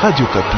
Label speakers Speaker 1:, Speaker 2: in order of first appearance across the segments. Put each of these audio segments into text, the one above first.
Speaker 1: Radio Okapi.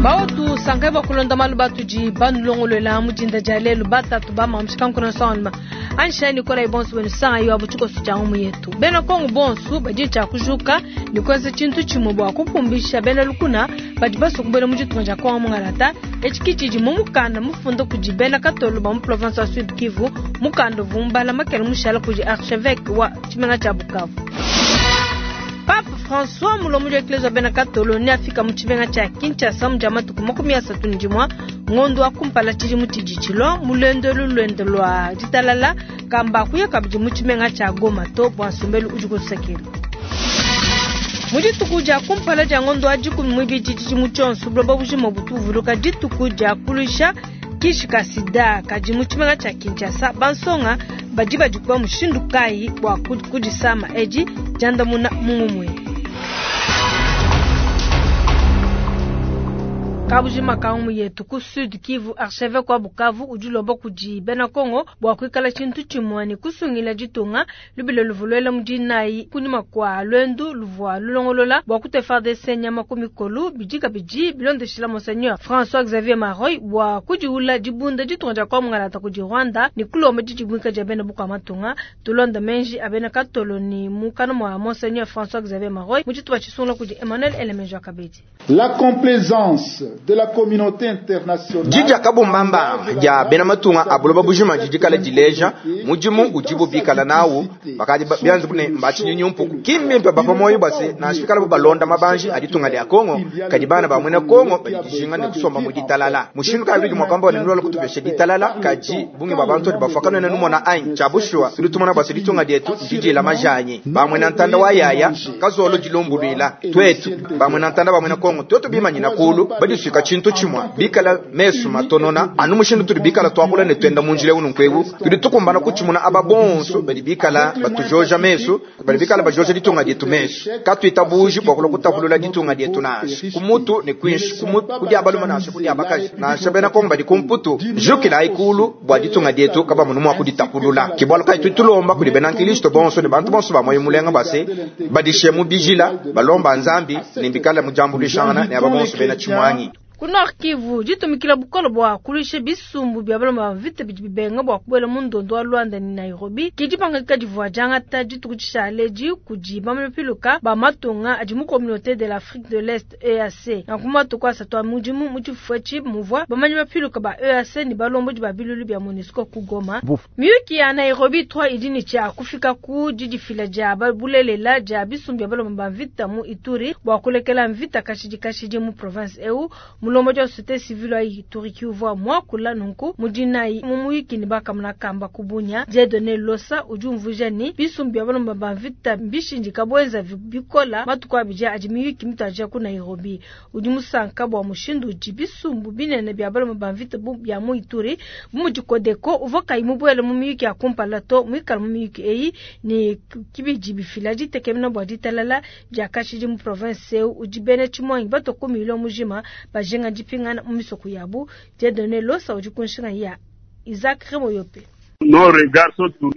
Speaker 2: Baotu sankai bakulonda malu batudi banulongolola mu dinda dia lelu batatu bamamshikankuna nsongaluma anshani nikola bonso benu sanga yo abu tshikoso tshia ngumu yetu. Bena Kongo bonso badi tshia kujuka ni kuenza tshintu tshimue bua kupumbisha bena lukuna badi basukubela mu ditunga dia Kongo mungalata. Etshi tshidi mu mukanda mufunda kudi bena Katolo ba mu province wa Sud Kivu, mukanda uvua mubala makele mushala kudi archevêque wa tshimenga tshia Bukavu. Pape François mulombodi wa Eklezia wa bena Katolo ne afika mu tshimenga tshia Kinshasa mu dia matuku 31 ngondo wa kumpala tshidimu tshidi tshilua mu luendo elu luende lua ditalala kamba kuya kabidi mu tshimenga tshia Goma to bua nsombelu udi kusekelu. Mu dituku dia kumpala dia ngondo wa 12 tshidimu tshionso buloba bujima butu buvuluka dituku dia kuluisha kishi ka sida. Kadi mu tshimenga tshia Kinshasa bansonga badi badikuba mushindu kayi bua kudisama edi diandamuna mu ngumue. Kabujima ka ngumu yetu ku Sud Kivu, archevêque wa Bukavu udi ulomba kudi bena Kongo bua kuikala tshintu tshimue ne kusungila ditunga lubilo luvua mu dinayi kunyima kua luendu luvua lulongolola bua kutua FARDC nyama ku mikolo. Bidi kabidi bilondeshila Monseigneur François Xavier Maroy bua kudiula dibunda ditunga dia Kongo mungalata kudi Rwanda ne kulomba didimuika dia bena bukua matunga. Tulonda menji a bena Katolo ni mukana mua Monseigneur François Xavier Maroy mu tshitupa tshisungula kudi Emmanuel Elemenjo Kabedi.
Speaker 3: La complaisance de la communauté internationale
Speaker 4: Didi kabumbamba dia bena matunga a buloba bujima didi kala dileja mudimu udibu bikala nawu bakadi bianza bune mbatshinyinyi mpuku kimbimpe bapa moyo basi nashifikala balonda mabanji a ditunga dia Kongo kadi bana ba mwena Kongo badi dijinga ne kusomba mu ditalala mushindu kayi bidi mwakamba ne nulola kutupesha ditalala kadi bungi ba bantu bafaka nene numona anyi tshiabushwa tudi tumona basi ditunga dietu didila majanyi ba mwena ntanda wa yaya kazolo dilumbuluila twetu ba mwena ntanda ba mwena Kongo twetu bimanyina kulu badisuika tshintu tshimue bikala mesu matonona anu mushindu tudi bikala twakula ne twenda mu njila unu nkwewu tudi tukumbana kutshimuna aba bonso badi bikala batujoja mesu badi bikala bajoja ditunga dietu mesu katuitabuji bua kulua kutapulula ditunga dietu nansha kumutu ne kwinshi kudi abaluma nansha kudi abakaji nansha bena Kongo badi kumputu jukila ikulu bua ditunga dietu kabamunu mua kuditapulula kibwalu kayi tudi tulomba kudi bena nkristo bonso ne bantu bonso ba moyo mulenga base badishe mu bijila balomba nzambi ne bikala mujambulishangana ne aba bonso bena tshimwangi.
Speaker 2: Ku Nord Kivu ditumikila bukolo bua kuluisha bisumbu bia balomba mvita bidi bibenga bua kubuela mu ndondo wa Luanda ne Nairobi ke dipangadika divua diangata dituku dishale kudi bamapiluka ba matunga adi mu communauté de l'Afrique de l'Est EAC. Nanku matuku asatu a mudimu mu tshifufu etshi muvua bamanyi bapiluka ba EAC ne balombodi ba bilulu bia MONUSCO ku Goma. Miyuki ya Nairobi 3 idi ne tshia kufika ku didifila dia bulelela dia bisumbu bia balomba ba mvita mu Ituri bua kulekela mvita kashidi kashidi mu province eu. Mulombodi wa société civile wa Ituri uvua muakula nunku mu dinayi mu muyuki ne bakamuna kamba ku Bunia. Dieudonné Losa udi umvuija ne bisumbu bia balomba ba mvita mbishindika buenza bikola matuku abidi adi miyuki mituadija ku Nairobi. Udi musanka bua mushindu udi bisumbu binene bia balomba ba mvita bia mu Ituri bu mudi Codeco uvua kayi mubuele mu miyuki ya kumpala to muikala mu miyuki eyi ne kibidi bifila ditekemena bua ditalala dia kashidi mu province eu udi bena tshimwangi batua ku milio mujima bajinga dipingana mu misoko yabu. Dieudonné Losa udi ku nshinga ya Isaac Remoyope.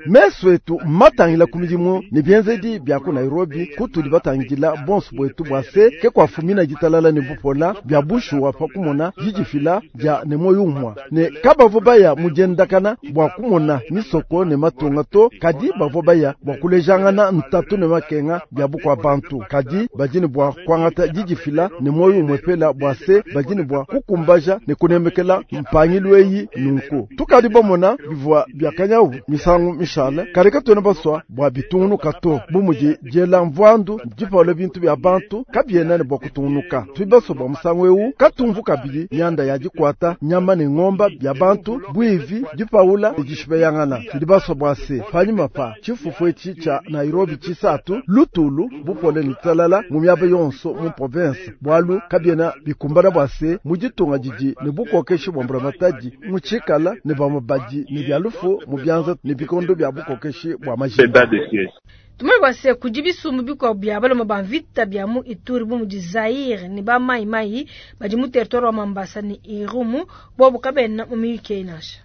Speaker 5: Mesu etu matangila ku midimu ne bienzedi bia ku Nairobi kutudi batangila bonso bwetu bua se ke kuafumina ditalala ne bupola bia bushuwa pa kumona didifila dia ne moyo umua ne kabavua baya mu diendakana bua kumona misoko ne matunga to kadi bavua baya bua kulejangana ntatu ne makenga bia bukua bantu kadi badi ne bua kuangata didifila ne moyo umue pela bua se badi ne bua kukumbaja ne kunemekela mpangilu eyi nunku tukadi bamona bivua bia kanyawu misangu mishale kadi katuena basua bua bitungunuka to bu mudi diela mvuandu dipawula bintu bia bantu kabiena ne bua kutungunuka. Tudi basua bua musangu ewu katumvu kabidi mianda ya dikuata nyama ne ngomba bia bantu buivi dipawula ne dishipeyangana. Tudi basua bua se panyima pa tshifufu etshi tshia Nairobi tshisatu lutulu bupole ne ditalala mu miaba yonso mu province bualu kabiena bikumbana bua se mu ditunga didi ne bukokeshi bua mbulamatadi mu tshikala ne bamue badi ne bia lufu mu bianza ne bikondo bia bukokeshi bua majimba.
Speaker 2: Tumanye bua se kudi bisumbu bikuabu bia balume ba mvita bia mu Ituri bu mudi Zaire ne ba Mai Mai badi mu territoire wa Mambasa ne Irumu, bobu kabena mu miyuki eyi nansha.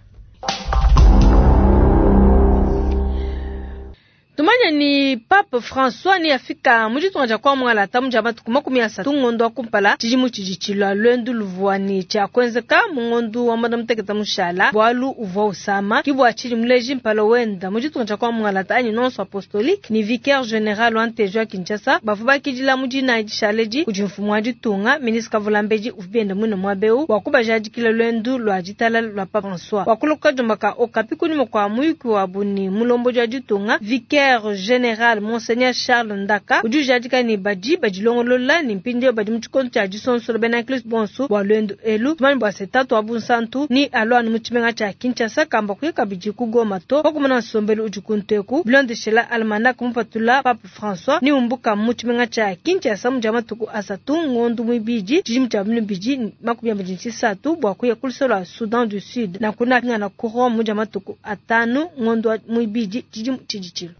Speaker 2: Tumanye ni Pape François ni afika mu ditunga dia kwa Mwangalata mu dia matuku 30 ngondo wa kumpala tshidimu tshidi tshilua lwendu luvua ni tshia kuenzeka mu ngondo wa mwanda mutekete mushala bualu uvua usama kibua tshidi muleji mpala wenda mu ditunga dia kwa Mwangalata anyi nonso apostolique ni vicaire général wa Ntejo ya Kinshasa bavua bakidila mu dina dishaledi kudi mfumu wa ditunga ministre Kavulambedi uvua bienda mwine mwabeu wa kubajadikila lwendu lwa ditala lwa Pape François wakuluka jombaka okapi kunyuma kwa muyuki wa buni mulombo dia ditunga vicaire général Monseigneur Charles Ndaka udi ujadika ni badi badilongolola ni mpindio badi mu tshikondo tshia disonsolo bena Kristo bonso bua lwendu elu tumanye bua se tatu wa bunsantu ni alwanu mu tshimenga tshia Kinshasa kamba kuya kabidi ku Goma to pakumona nsombelu udi kunteku bilondeshela almanach mupatula Pape François ni umbuka mu tshimenga tshia Kinshasa mu dia matuku asatu ngondu muibidi tshidimu tshia 2023 bua kuya ku lusolo lua Soudan du Sud na kuna pingana ku Rome mu dia matuku atanu ngondu muibidi tshidimu tshidi tshilo.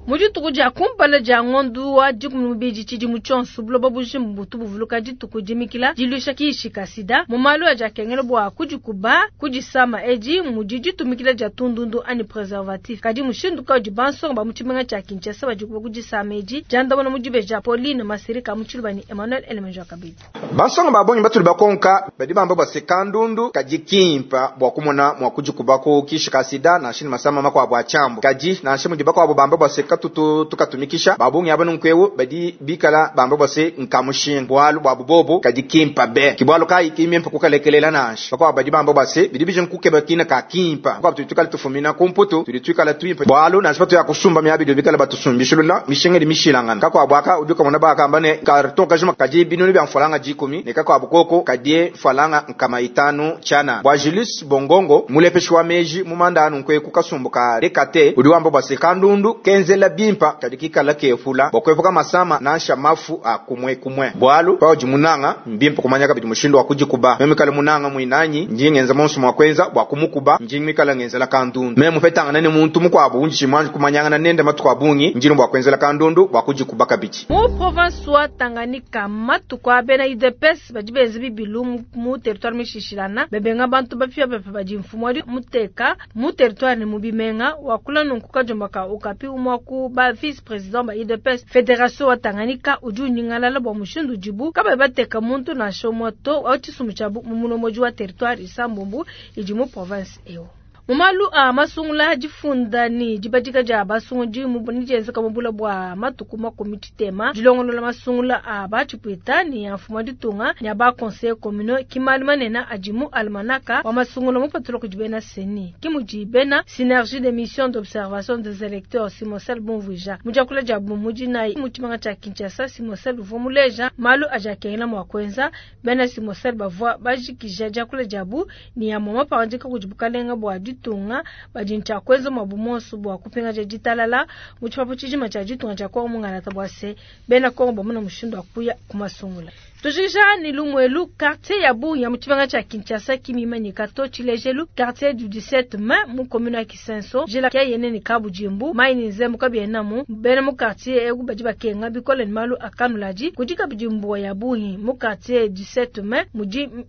Speaker 2: Mu dituku dia kumpala dia ngondu wa 12 tshidimu tshionso buloba bujima butu buvuluka dituku dimikila diluisha kishi ka sida mu malu aja akengela bua kudikuba kudisama edi mudi ditumikila dia tundundu anyi preservatif kadi mushindu kaudi bansonga ba mu tshimenga tshia Kinshasa badikuba kudisama edi diandamuna mu dibeja Pauline Masirika mu tshiluba ni Emmanuel Elemenjo kabidi.
Speaker 4: Bansonga babonyi batuli bakonka badi bamba bua se kandundu kadi kimpa bua kumona mua kudikuba ku kishi ka sida nansha ni masama makuabu a tshiambu kadi nansha mudi bakuabu bamba bua se katutu tukatumikisha babungi aba nunkuewu badi bikala bamba bua se nkamushinga bualu bua bubobo kadi kimpa be kibwalu kayi kimimpa kukalekelela nansha bakuabu badi bamba bua se bidi bije nkukeba kina ka kimpa bakuabu tudi tukala tufumina kumputu tudi tuikala tuimpa bualu nansha batu ya kusumba miabi bikala batusumbishilula mishinga di mishilangana kakuabu aka udi ukamona bakamba ne karton kajima kadi binunu bya mfalanga 10 ne kakuabu koko kadie mfalanga nkama 5 chana bwa Julius Bongongo mulepeshi wa meji mumanda nunkueku kukasumbuka rekate udi wamba bua se kandundu kenzela bimpa kadi kikala kefula bwakwepuka masama nansha mafu a kumwe kumwe bwalu paudi munanga mbimpa kumanya kabidi mushindu wa kudikuba meme kala munanga mwinanyi ndi ngenza monso mwa kwenza bwa kumukuba ndi mikala ngenzela kandundu meme mupetangana ne muntu mukuabu unji chimwanji kumanyangana nende matuku abungi ndi bwa kwenzela kandundu bwa kudikuba kabidi.
Speaker 2: Mu province wa Tanganyika matuku abena UDPS badi benza bibilu mu territoire mishishilana bebenga bantu bapia bapia badi mfumu wadi muteka mu territoire ne mu bimenga wakula nunku kajombaka okapi umwaku ba vice président ba UDPS Fédération wa Tanganyika udi unyingalala bua mushindu dibu kaba bateka muntu nansha moto wa tshisumbu tshiabu mu mulomoji wa territoire isambumbu idi mu province eo. Mumalu a masungula difunda ni dibadika dia basungudi mu nijenzeka mubula bua matuku 30 dilongolola masungula a batshipwita ni ya mfumu wa ditunga ni aba conseil communal kimali manena adimu almanaka wa masungula mupatula kudi bena seni kimudi bena synergie des missions d'observation des électeurs Simosel Bonvuija mudiakula dia bumudi na mutshimanga tshia Kinshasa Simosel Vomuleja malu ajakengela mwa kwenza bena Simosel bavua bajikija diakula diabu ni ya mama pandika kudi bukalenga bua ditunga badi ntshia kwenza mwabu monso bua kupingaja ditalala mu tshipapu tshijima tshia ditunga tshia Kongo mungalata bua se bena Kongo bamuna mushindu wa kuya kumasungula. Tujikija ni lumwelu quartier ya Bunya mu tshibanga tshia Kinshasa kimimanyika to tshilejelu quartier du 17 mai mu commune ya Kisenso jela kya yene ni Kabujimbu mai ni nzembo kabiena mu bena mu quartier egu badi bakenga bikole ni malu akanulaji kudi Kabujimbu ya Bunya mu quartier 17 mai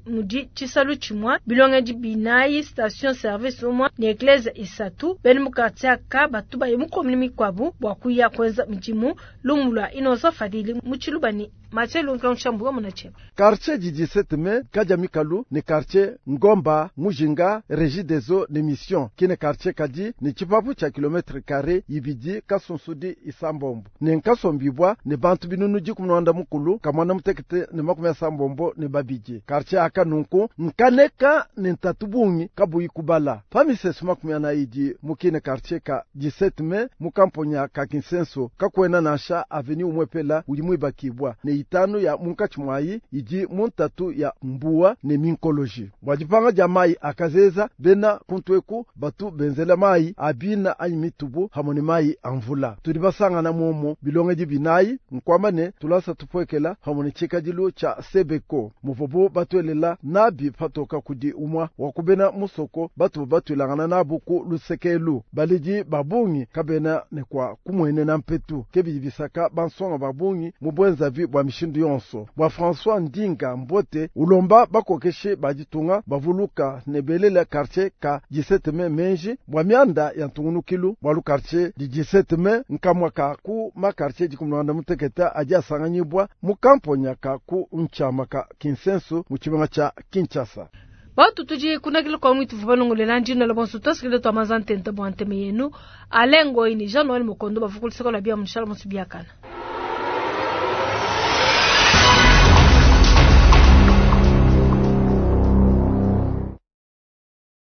Speaker 2: mudi tshisalu tshimwa bilonge di binayi station service umwa ni eglise isatu bena mu quartier ka batuba mu commune mikwabu bua kuya kwenza mijimu lumulwa inoso fadili mu tshilubani Mathieu Nkanshambu munache.
Speaker 5: Quartier du 17 mai Kadiamikalu ni quartier Ngomba Mujinga Régie des eaux ne mission kine quartier kadi ni tshipapu tshia kilomètre carré ibidi kasunsudi isambombo ni nkasombibwa ni bantu binunu dikumi na mukulu kamwana mutekete ni 80 ni babidi quartier aka nunku nkaneka ni ntatu bungi kabuyi kubala pamisesu 40 mukine quartier ka 17 mai mukamponya ka Kinsenso kakwena nansha avenue umwepela udi mwibakibwa ne itanu ya munkatshi muayi idi mu ntatu ya mbuwa ne minkoloji. Bua dipanga dia mayi a kazeza, bena kuntu eku batu benzela mayi a bina anyi mitubu hamwe ne mayi a mvula. Tudi basangana muomo bilongedi binayi, nkuamba ne tulasa tupuekela hamwe ne tshikadilu tshia Sebeko muvuabu batuelela nabi patoka kudi umwa wa ku bena musoko batu batuilangana nabu ku lusekelu. Baledi ba bungi kabena ne kwa kumuenena mpetu, ke bidi bisaka bansonga ba bungi mu bwenzavi bua mishindu yonso. Bua François Ndinga Mbote ulomba bakokeshe ba ditunga bavuluka ne belela quartier ka 17 mai menji bua mianda ya ntungunukilu bua quartier di 17 mai nkamwa ka ku ma quartier dikumulanda muteketa adi asanganyibwa mu kamponya ka ku nchama ka Kinsensu mu tshibanga tshia Kinshasa.
Speaker 2: Batu tudi kunakila kwa mwitu fubalongolela ndino la bonso tosikile twa mazantente bwa nteme yenu alengo ini Jean Noël Mokondo bavukulisako la bia munshala musu biakana.